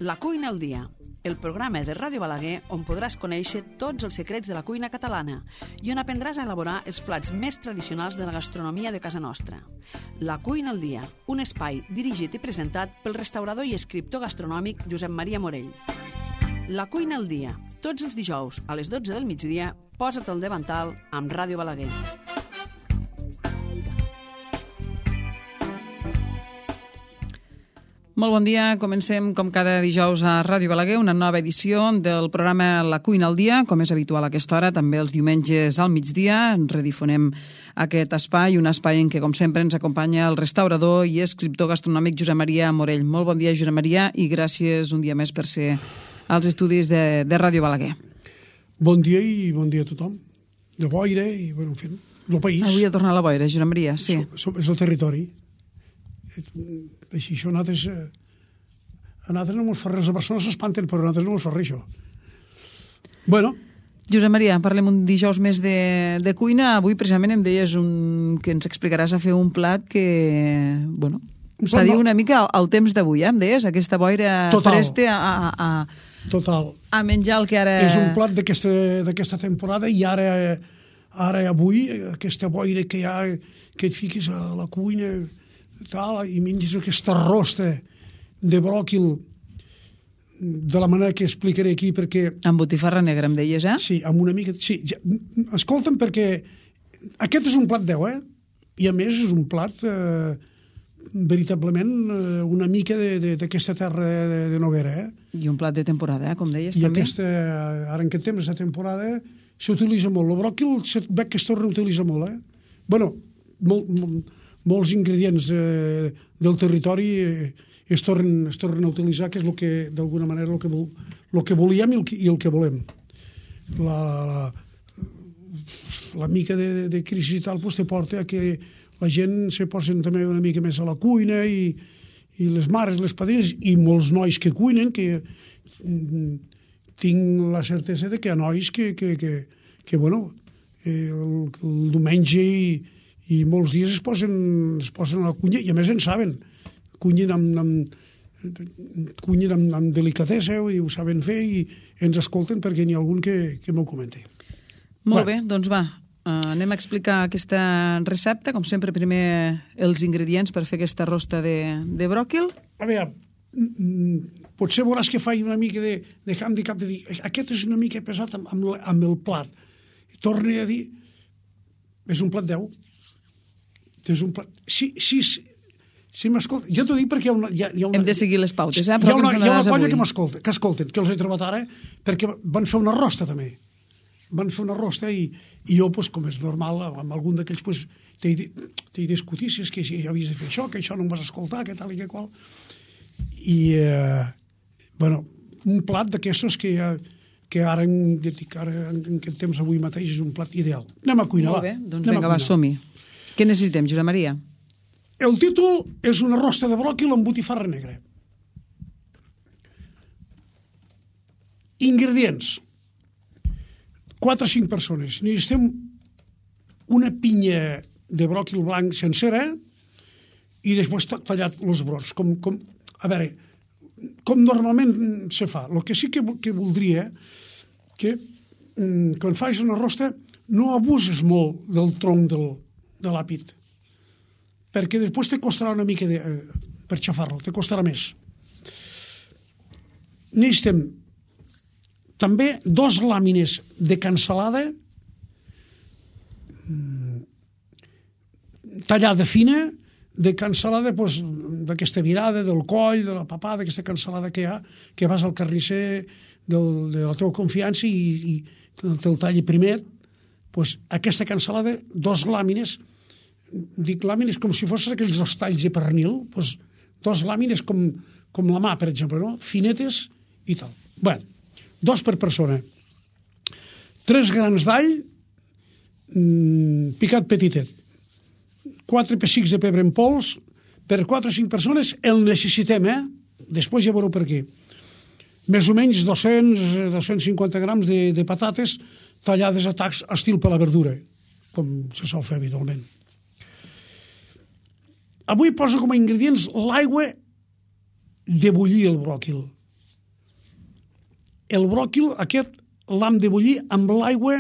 La cuina al dia, el programa de Ràdio Balaguer on podràs conèixer tots els secrets de la cuina catalana i on aprendràs a elaborar els plats més tradicionals de la gastronomia de casa nostra. La cuina al dia, un espai dirigit i presentat pel restaurador i escriptor gastronòmic Josep Maria Morell. La cuina al dia, tots els dijous a les 12 del migdia, posa't al davantal amb Ràdio Balaguer. Molt bon dia, comencem com cada dijous a Ràdio Balaguer, una nova edició del programa La cuina al dia, com és habitual a aquesta hora, també els diumenges al migdia, redifonem aquest espai, un espai en què, com sempre, ens acompanya el restaurador i escriptor gastronòmic Josep Maria Morell. Molt bon dia, Josep Maria, i gràcies un dia més per ser als estudis de Ràdio Balaguer. Bon dia i bon dia a tothom. De boira i, bueno, en fi, el país. Avui ha tornat la boira, Josep Maria, sí. És el territori. Així, això a nosaltres no mos fa res. A Barcelona s'espanten, però a nosaltres no mos fa res, això. Bueno. Josep Maria, parlem un dijous més de cuina. Avui, precisament, em deies que ens explicaràs a fer un plat que, bueno, s'ha dit una mica al temps d'avui, em deies? Aquesta boira presta a menjar el que ara... És un plat d'aquesta temporada i ara avui, aquesta boira que hi ha, que et fiques a la cuina... i menges aquesta rosta de bròquil de la manera que explicaré aquí, perquè... Amb botifarra negra, em deies, eh? Sí, amb una mica... Sí, escolta'm, perquè aquest és un plat 10, eh? I a més és un plat veritablement una mica d'aquesta terra de Noguera, eh? I un plat de temporada, com deies, i també. I ara en aquest temps de temporada s'utilitza molt. El bròquil veig que es torna a utilitzar molt, eh? Bueno, molts ingredients del territori es tornen a utilitzar, que és el que, d'alguna manera, el que volíem i el que volem. La mica de crisi i tal te porta a que la gent se posen també una mica més a la cuina i les mares, les padrines i molts nois que cuinen, que tinc la certesa de que hi ha nois que bueno, el diumenge i molts dies es posen a la cuina i a més en saben. Cunyen amb delicadesa i ho saben fer i ens escolten perquè n'hi ha algun que m'ho comenta. Molt bé, doncs va, anem a explicar aquesta recepta. Com sempre, primer els ingredients per fer aquesta rosta de bròquil. A veure, potser veuràs que faig una mica de handicap de dir aquest és una mica pesat amb el plat. Torne a dir, és un plat 10. És un plat... Sí, m'escolta. Jo t'ho dic perquè hi ha una... Hem de seguir les pautes, Hi ha una colla que escolten, que els he trobat ara, perquè van fer una rosta, també. Van fer una rosta i jo, com és normal, amb algun d'aquells, t'he discutit si és que havies de fer això, que això no em vas escoltar, que tal i que qual. I, bueno, un plat d'aquestos que ara en aquest temps avui mateix és un plat ideal. Anem a cuinar, va. Molt bé, doncs vinga, va, som-hi. Què necessitem, Josep Maria? El títol és una rosta de bròquil amb botifarra negra. Ingredients. 4 o 5 persones. Necessitem una pinya de bròquil blanc sencera i després tallat els brots. A veure, com normalment se fa. El que sí que voldria que quan fas una rosta no abuses molt del tronc de l'àpid, perquè després te costarà una mica per xafar-lo, te costarà més. Necessitem també 2 làmines de cansalada tallada fina, de cansalada d'aquesta virada, del coll, de la papada, d'aquesta cansalada que hi ha, que vas al carnisser de la teva confiança i te'l talli primer. Aquesta cansalada, 2 làmines, dic làmines com si fossin aquells 2 talls de pernil, 2 làmines com la mà, per exemple, no? Finetes i tal. Bé, 2 per persona. 3 grans d'all picat petitet. 4 pessics de pebre en pols. Per 4 o 5 persones el necessitem, eh? Després ja veureu per què. Més o menys 200-250 grams de patates tallades a tacs estil per la verdura, com se sol fer habitualment. Avui poso com a ingredients l'aigua de bullir el bròquil. el bròquil aquest l'hem de bullir amb l'aigua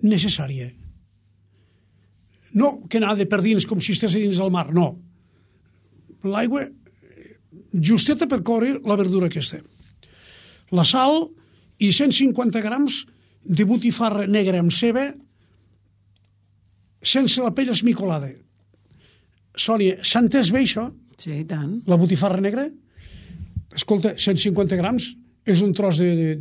necessària. No que anava per dins com si estigués dins del mar, no. L'aigua justeta per coure la verdura aquesta. La sal i 150 grams de botifarra negra amb ceba sense la pell esmicolada. Sònia, s'ha entès bé això? Sí, i tant. La botifarra negra? Escolta, 150 grams és un tros de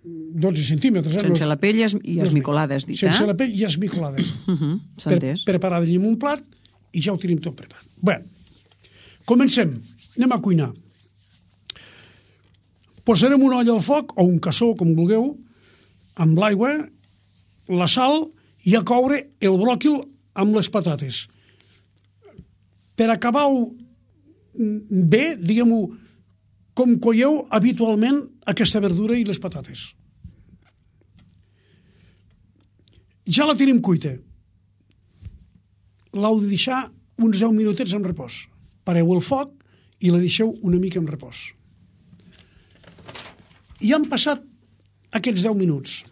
12 centímetres. Sense la pell i esmicolada, has dit, Sense la pell i esmicolada. S'ha entès. Preparada en un plat i ja ho tenim tot preparat. Bé, comencem. Anem a cuinar. Posarem una olla al foc, o un cassó, com vulgueu, amb l'aigua, la sal i a coure el bròquil amb les patates. Per acabar-ho bé, diguem-ho, com coieu habitualment aquesta verdura i les patates. Ja la tenim cuita. L'heu de deixar uns 10 minutets en repòs. Pareu el foc i la deixeu una mica en repòs. I han passat aquests 10 minuts.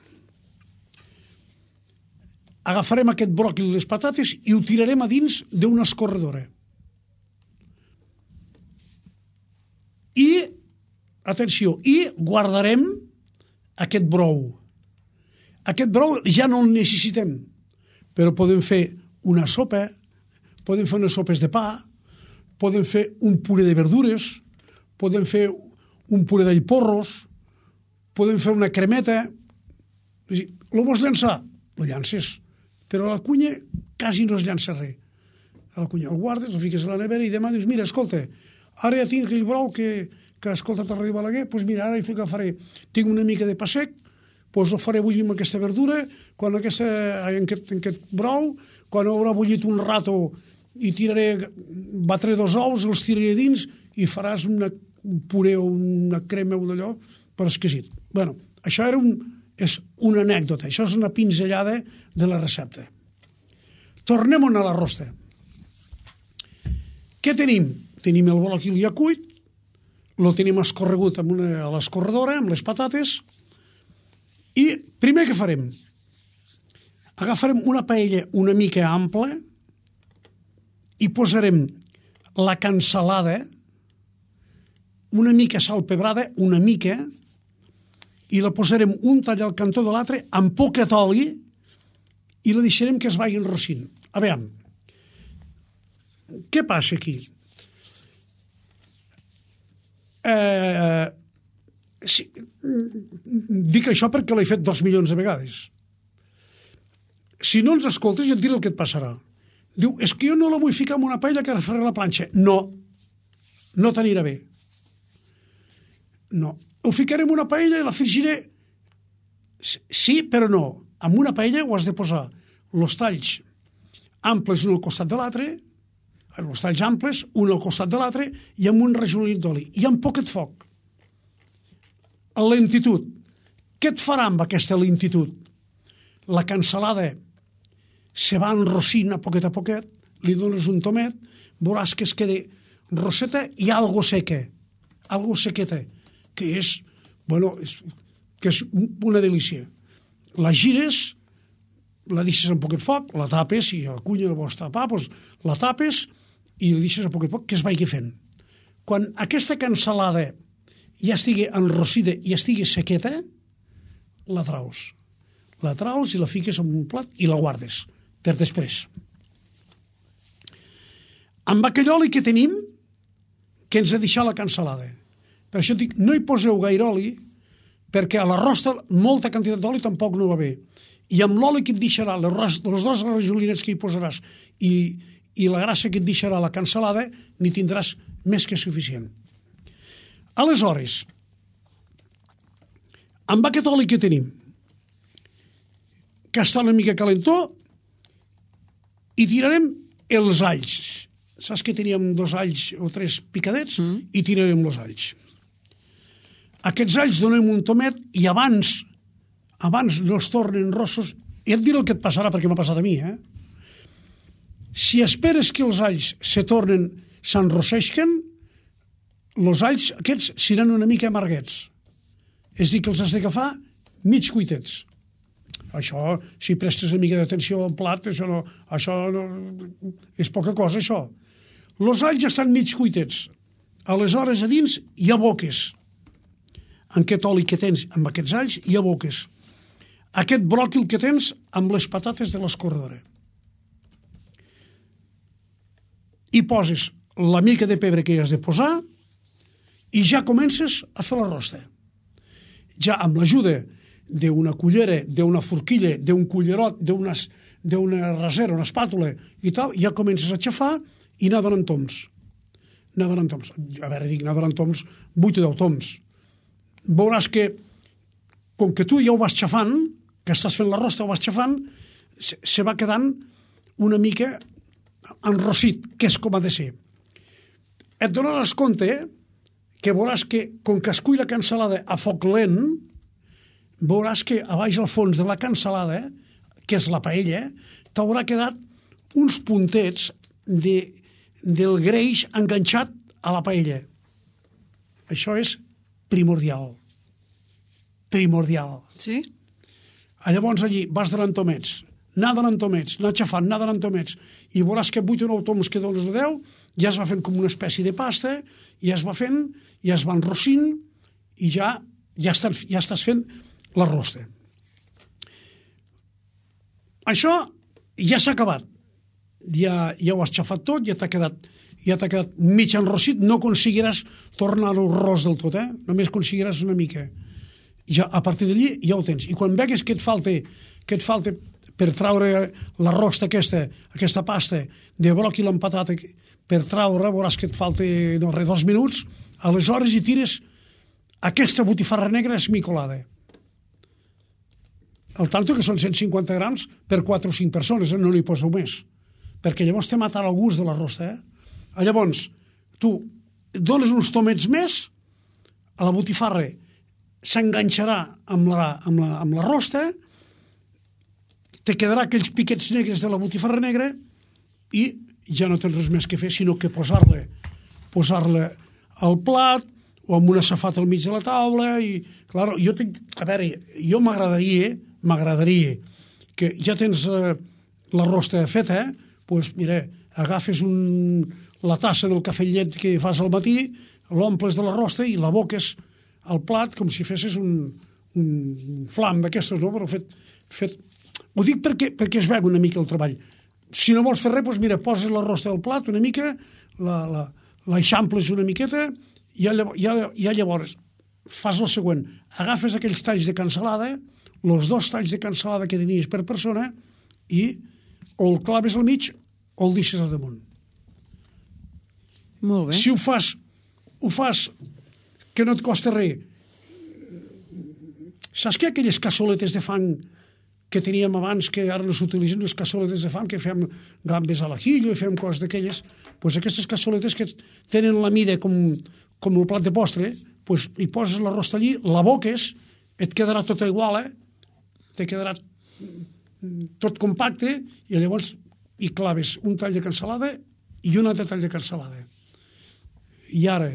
Agafarem aquest bròquil i les patates i ho tirarem a dins d'una escorredora. I, atenció, guardarem aquest brou. Aquest brou ja no el necessitem, però podem fer una sopa, podem fer unes sopes de pa, podem fer un puré de verdures, podem fer un puré d'allporros, podem fer una cremeta. Lo vols llançar? Lo llances. Però a la cuina quasi no es llança res. A la cuina el guardes, el fiques a la nevera i demà dius, mira, escolta, ara ja tinc aquell brou que ha escoltat el Ràdio Balaguer, doncs mira, ara el faré. Tinc una mica de pa sec, doncs ho faré bullir amb aquesta verdura, quan en aquest brou, quan haurà bullit un rato i batré 2 ous, els tiraré dins i faràs un puré o una crema o d'allò per exquisit. Bueno, això és una anècdota, això és una pinzellada de la recepta. Tornem a la rosta. Què tenim? Tenim el bròquil ja cuit, lo tenim escorregut a l'escorredora, amb les patates, i primer què farem? Agafarem una paella una mica ampla i posarem la cansalada, una mica salpebrada, una mica, i la posarem un tall al cantó de l'altre amb poquet oli i la deixarem que es vagi enrossint. A veure, què passa aquí? Dic això perquè l'he fet 2 milions de vegades. Si no ens escoltes, ja et diré el que et passarà. Diu, és que jo no la vull ficar en una paella que ara faré la planxa. No, no t'anirà bé. No. Ho ficaré en una paella i la frigiré. Sí, però no. En una paella ho has de posar els talls amples un al costat de l'altre, els talls amples un al costat de l'altre i amb un rajolí d'oli i amb poquet foc. A lentitud. Què et farà amb aquesta lentitud? La cansalada se va enrossint a poquet, li dones un tomet, veuràs que es queda rosseta i algo seca, algo sequeta, que és, bueno, que és una delícia. La gires, la deixes amb poquet foc, la tapes, si la cuina la vols tapar, doncs la tapes i la deixes a poquet foc, que es vagi fent. Quan aquesta cansalada ja estigui enrossida i estigui sequeta, la traus. La traus i la fiques en un plat i la guardes per després. Amb aquell oli que tenim, que ens ha deixat la cansalada. Per això dic, no hi poseu gaire oli, perquè a l'arròs molta quantitat d'oli tampoc no va bé. I amb l'oli que et deixarà, les 2 rajolinets que hi posaràs i la grassa que et deixarà la cansalada, n'hi tindràs més que suficient. Aleshores, amb aquest oli que tenim, que està una mica calentó, i tirarem els alls. Saps que teníem 2 alls o 3 picadets? I tirarem els alls. Aquests alls donem un tomet i abans no es tornen rossos, i et diré el que et passarà perquè m'ha passat a mi, Si esperes que els alls s'enrosseixen, els alls aquests seran una mica amarguets. És a dir, que els has d'agafar mig cuitets. Això, si prestes una mica d'atenció al plat, això no, és poca cosa, això. Els alls ja estan mig cuitets. Aleshores, a dins hi ha boques. En aquest oli que tens, amb aquests alls, hi ha boques. Aquest bròquil que tens amb les patates de l'escorredora. Hi poses la mica de pebre que hi has de posar i ja comences a fer la rosta. Ja amb l'ajuda d'una cullera, d'una forquilla, d'un cullerot, d'una rasera, una espàtula i tal, ja comences a xafar i anar donant toms. Anar donant toms. A veure, dic anar donant toms, 8 o 10 toms. Veuràs que, com que tu ja ho vas xafant, que estàs fent la rosta, ho vas xafant, se va quedant una mica enrossit, que és com ha de ser. Et donaràs compte que veuràs que, com que es cull la cansalada a foc lent, veuràs que a baix al fons de la cansalada, que és la paella, t'haurà quedat uns puntets del greix enganxat a la paella. Això és primordial. Primordial. Sí? Llavors allí vas donant tomets, anar xafant, anar donant tomets, i veuràs que 8 o 9 toms que dones de 10 ja es va fent com una espècie de pasta, ja es va fent, ja es va enrossint, i ja estàs fent la rosta. Això ja s'ha acabat. Ja ho has xafat tot, ja t'ha quedat mig enrossit, no aconseguiràs tornar-ho ros del tot, només aconseguiràs una mica. Ja, a partir d'allí ja ho tens. I quan vegues que et falta per traure la rosta aquesta pasta de bròquil amb patata, per traure, veuràs que et falta 2 minuts, aleshores hi tires aquesta botifarra negra esmicolada. El tanto que són 150 grams per 4 o 5 persones, no n'hi poseu més, perquè llavors te matarà el gust de la rosta. Llavors, tu dones uns tomets més, a la botifarra s'enganxarà amb la rosta, te quedarà aquells piquets negres de la botifarra negra i ja no tens res més que fer, sinó que posar-la al plat o amb una safata al mig de la taula. I, clar, jo m'agradaria que ja tens la rosta feta, doncs mira, agafes la tassa del cafè llet que fas al matí, l'omples de la rosta i la boques al plat com si fessis un flam d'aquestes, no? Però fet. Ho dic perquè es veu una mica el treball. Si no vols fer res, doncs mira, poses la rosta al plat una mica, l'eixamples una miqueta i ja llavors fas el següent. Agafes aquells talls de cansalada, els 2 talls de cansalada que tenies per persona, i o el claves al mig o el deixes al damunt. Molt bé. Si ho fas que no et costa res. Saps que aquelles cassoletes de fang que teníem abans, que ara no s'utilitzen, les cassoletes de fang, que fem gambes a l'ajillo i fem coses d'aquelles, doncs aquestes cassoletes que tenen la mida com el plat de postre, doncs hi poses la rosta allí, la boques, et quedarà tota igual, te quedarà tot compacte, i llavors hi claves un tall de cansalada i un altre tall de cansalada. I ara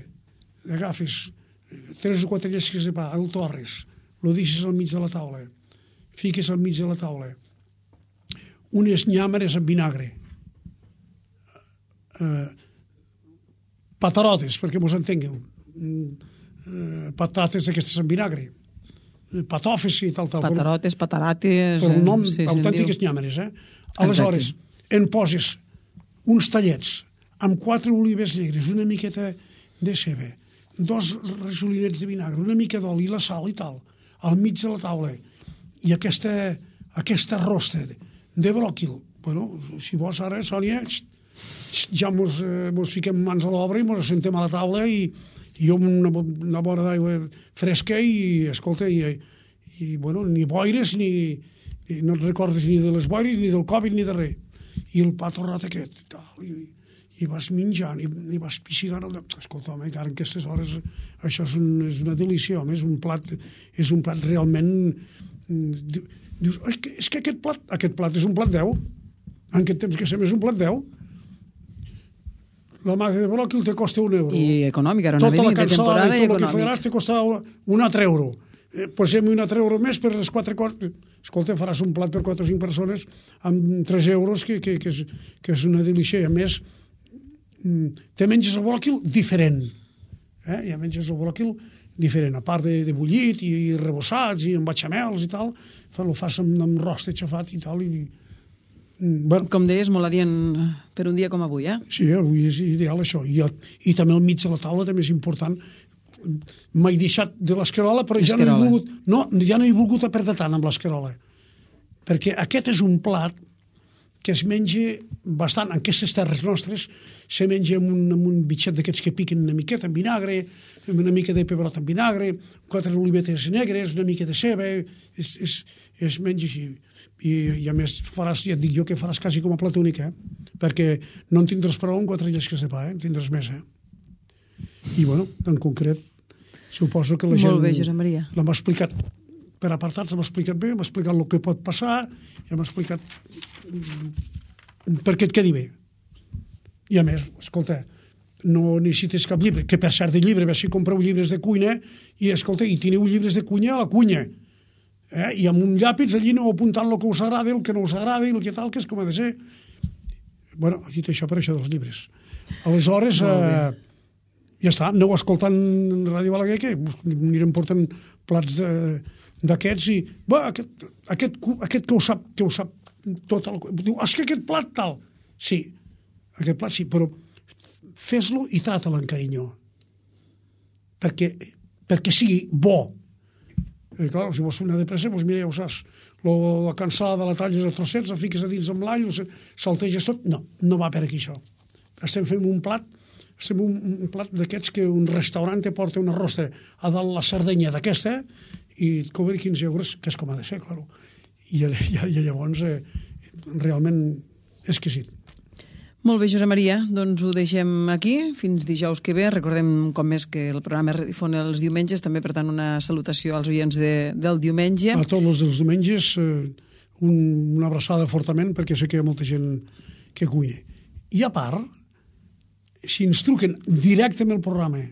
agafes 3 o 4 llesques de pa, el torres, el deixes al mig de la taula, fiques al mig de la taula unes nyàmeres amb vinagre, patarotes, perquè mos entengueu, patates d'aquestes amb vinagre, patofes i tal. Patarotes, patarates... Per un nom, autèntiques nyàmeres. Aleshores, en poses uns tallets amb 4 olives negres, una miqueta de ceba, 2 resolinets de vinagre, una mica d'oli, la sal i tal, al mig de la taula, i aquesta rosta de bròquil. Bueno, si vols ara, Sònia, ja mos fiquem mans a l'obra i mos assentem a la taula i jo amb una vora d'aigua fresca i, escolta, i bueno, ni boires, no et recordes ni de les boires, ni del Covid, ni de res. I el pa torrat aquest, i vas menjant, i vas pixigant. Escolta, home, encara en aquestes hores això és una delícia, home, és un plat realment... Dius, és que aquest plat és un plat 10. En aquest temps que sem és un plat 10. La massa de bròquil te costa €1. I econòmica, era una venida de temporada i tot el que econòmic. faràs te costava €1. Posem €1 més per les 4 coses. Escolta, faràs un plat per 4 o 5 persones amb €3, que és una delícia. I a més, te menges el bròquil diferent. Ja menges el bròquil diferent. A part de bullit i rebossats i amb bechamels i tal, el fas amb rost aixafat i tal. Bueno, Com deies, molt adient per un dia com avui, Sí, avui és ideal això. I també al mig de la taula també és important. M'he deixat de l'escarola, però ja no he volgut apretar tant amb l'escarola. Perquè aquest és un plat que es menja bastant, en aquestes terres nostres, se menja amb un bitxet d'aquests que piquen una miqueta amb vinagre, amb una mica de pebrot amb vinagre, 4 olivetes negres, una mica de ceba, es menja així. I a més ja et dic jo que faràs quasi com a plat únic, perquè no en tindràs prou amb 4 llesques de pa, en tindràs més. I bueno, en concret, suposo que la gent... Molt bé, Josep Maria. L'hem explicat per apartats, l'hem explicat bé, hem explicat el que pot passar, i hem explicat perquè et quedi bé. I a més, escolta, no necessites cap llibre, que per cert de llibre, si compreu llibres de cuina, i escolta, i teniu llibres de cuina a la cuina, i amb un llàpis allí no apuntant el que us agrada, el que no us agrada, i el que tal, que és com ha de ser. Bueno, dit això per això dels llibres. Aleshores, ja està, aneu escoltant Ràdio Balaguer, que anirem portant plats d'aquests, i aquest que ho sap tot, diu, és que aquest plat tal. Sí, aquest plat sí, però fes-lo i trata-lo amb carinyo, perquè sigui bo. I clar, si vols fer una de pressa, doncs mira, ja ho saps, la cansada la talles a trossets, la fiques a dins amb l'all, salteges tot. No va per aquí això. Estem fent un plat d'aquests que un restaurant te porta una rosta a dalt la sardenya d'aquesta i et cobra €15, que és com ha de ser, clar. I llavors realment exquisit. Molt bé, Josep Maria, doncs ho deixem aquí fins dijous que ve. Recordem com més que el programa es redifon els diumenges, també per tant una salutació als oients del diumenge. A tots els dels diumenges una abraçada fortament, perquè sé que hi ha molta gent que cuina. I a part, si ens truquen directament al programa,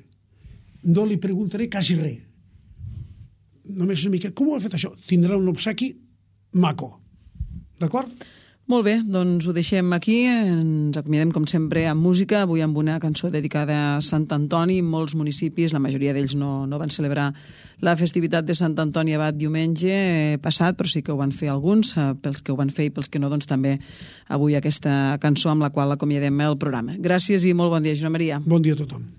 no li preguntaré quasi res. Només una mica, com ho ha fet això? Tindrà un obsequi maco. D'acord? Molt bé, doncs ho deixem aquí. Ens acomiadem, com sempre, amb música. Avui amb una cançó dedicada a Sant Antoni. Molts municipis, la majoria d'ells no van celebrar la festivitat de Sant Antoni Abat diumenge passat, però sí que ho van fer alguns. Pels que ho van fer i pels que no, doncs també avui aquesta cançó amb la qual acomiadem el programa. Gràcies i molt bon dia, Josep Maria. Bon dia a tothom.